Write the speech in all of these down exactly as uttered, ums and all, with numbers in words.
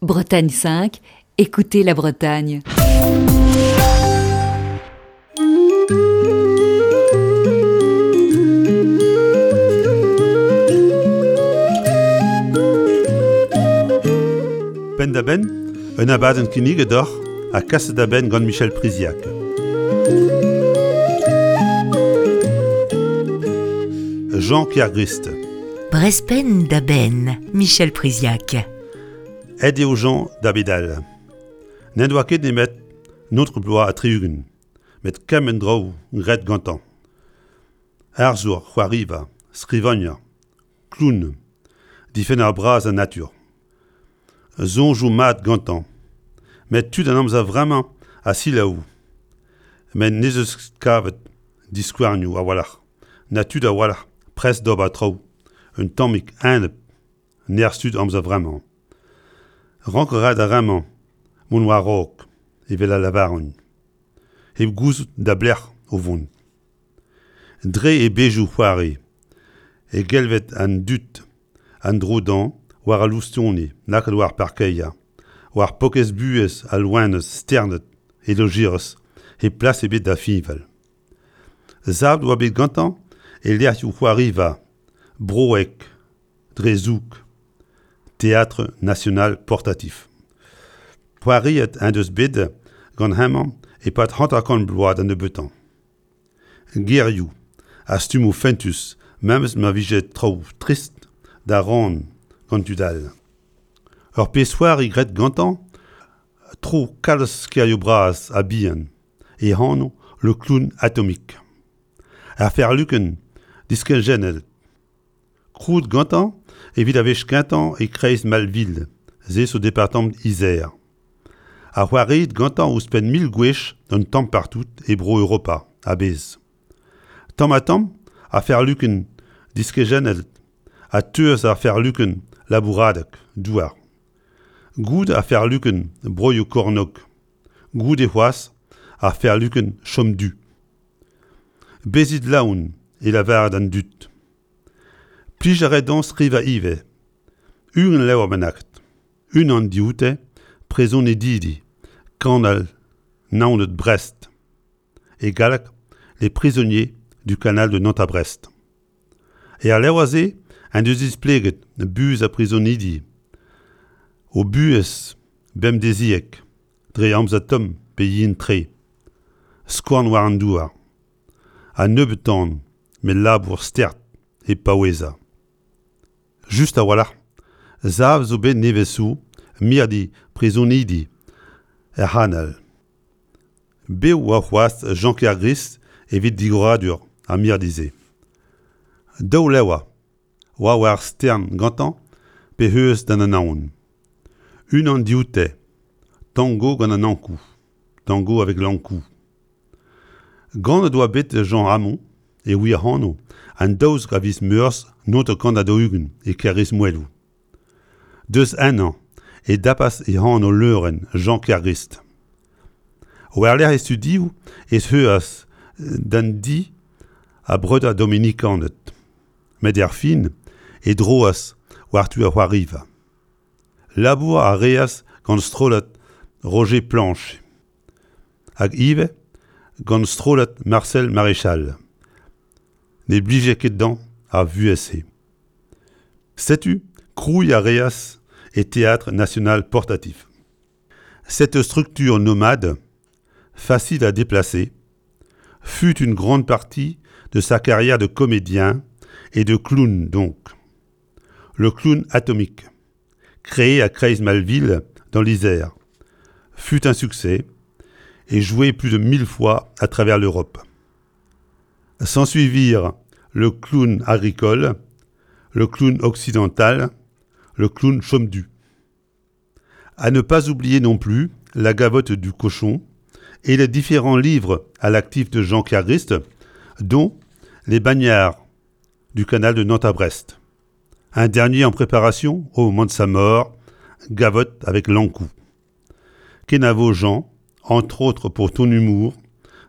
Bretagne cinq, écoutez la Bretagne. Penn da benn, un abadenn kinniget deoc'h ha kaset da benn gant Michel Priziac. Jean Kergrist. Brespen da benn, Michel Priziac. Aet eo Jean da bedal. N'en doa ket nemet naontek bloaz ha tri-ugent, met kement draoù graet gantañ. Arzour, c'hoariva, skrivagner, clown, difenner bras an natur. Soñjoù mat gantañ, met tud an amzer vremañ a selaou. Met n'ez eus kavet diskouarnioù a-walc'h, na tud a-walc'h prest d'ober traoù, un tammig enep nerzh tud amzer vremañ. Rank a ra d'ar re-mañ mont war-raok, evel a lavaront, hep gouzout da belec'h o vont. Dre e bezhioù c'hoari e gelvet an dud an dro dezhañ war al loustoni lakaet war parkeier, war paourkaezh buhez al loened sternet e lojeiz hep plas ebet da fiñval. Savet oa bet gantañ e lec'hioù c'hoariva broek dre zoug, Théâtre national portatif. C'hoariet en deus bet gant hemañ e-pad hanter-kant bloaz da nebeutañ. Gerioù ha stummoù fentus memes ma vije traoù trist da rann gant tud all. Ur pezh-c'hoari graet gantañ tro kalz kêrioù bras ha bihan, e anv Le Clown Atomique. Ar ferlukenn diskejennet. Krouet gantañ evit ar wech kentañ e-kreiz Malville, se zo departamant Isère. Ha c'hoariet gantañ ouzhpenn mil gwech un tamm partout e bro Europa a-bezh. Tamm-ha-tamm ar ferlukenn diskejennet a teuas ar ferlukenn labouradeg douar. Goude ar ferlukenn broioù kornôg, goude c'hoazh ar ferlukenn chom du. Bezit laouen e lavare d'an dud. Plij a rae dezhañ skrivañ ivez, ugent levr bennak, unan dioute Prizonidi, kanal Naoned-Brest. E galleg, Les prisonniers du canal de Nantes à Brest. Er levr-se en deus displeget buhez ar prizonidi, o buhez bemdeziek, dre amzer tomm pe yen-tre, skouarn war an douar, ha nebeut tan, met labour start hep paouezañ. Just a-walc'h, savet zo bet nevez zo mirdi prizonidi er c'hanal. Bev oa c'hoazh Jean Kergrist evit digoradur ar mirdi-se. Daou levr oa war stern gantañ pe eus d'an Anaon. Unan dioute, Tango gant an Ankou, Tango avec l'Ankou. Ganet oa bet Jean Hamon e wir anv an daouzek a viz Meurzh naontek kant ha daou-ugent e Kêr-Rismoeloù. Deus ennañ e dapas e anv leurenn Jean Kergrist. War-lerc'h e studioù ez eas d'an di a breudeur Dominikaned. Met er fin e droas war-du ar c'hoariva. Labour a reas gant strollad Roger Planche. Hag ivez gant strollad Marcel Maréchal. Ne blije ket dezhañ ar vuhez-se. Setu krouiñ a reas e Théâtre national portatif. Cette structure nomade, facile à déplacer, fut une grande partie de sa carrière de comédien et de clown donc. Le clown atomique, créé à Creys-Malville dans l'Isère, fut un succès et joué plus de mille fois à travers l'Europe. S'ensuivirent le clown agricole, le clown occidental, le clown chaume-du. À ne pas oublier non plus la gavotte du cochon et les différents livres à l'actif de Jean Kergrist, dont Les bagnards du canal de Nantes à Brest. Un dernier en préparation au moment de sa mort, Gavotte avec l'Ankou. Kenavo Jean, entre autres pour ton humour,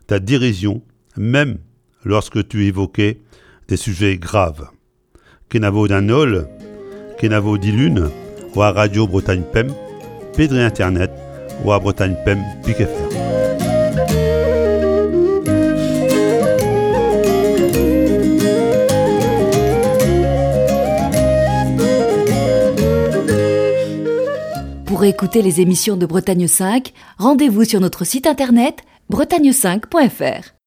ta dérision, même lorsque tu évoquais des sujets graves. Kenavo d'an holl, Kenavo dilun, war Radio Bretagne Pemp, pe dre internet war Bretagne pemp pik F R. Pour écouter les émissions de Bretagne cinq, rendez-vous sur notre site internet bretagne cinq point F R.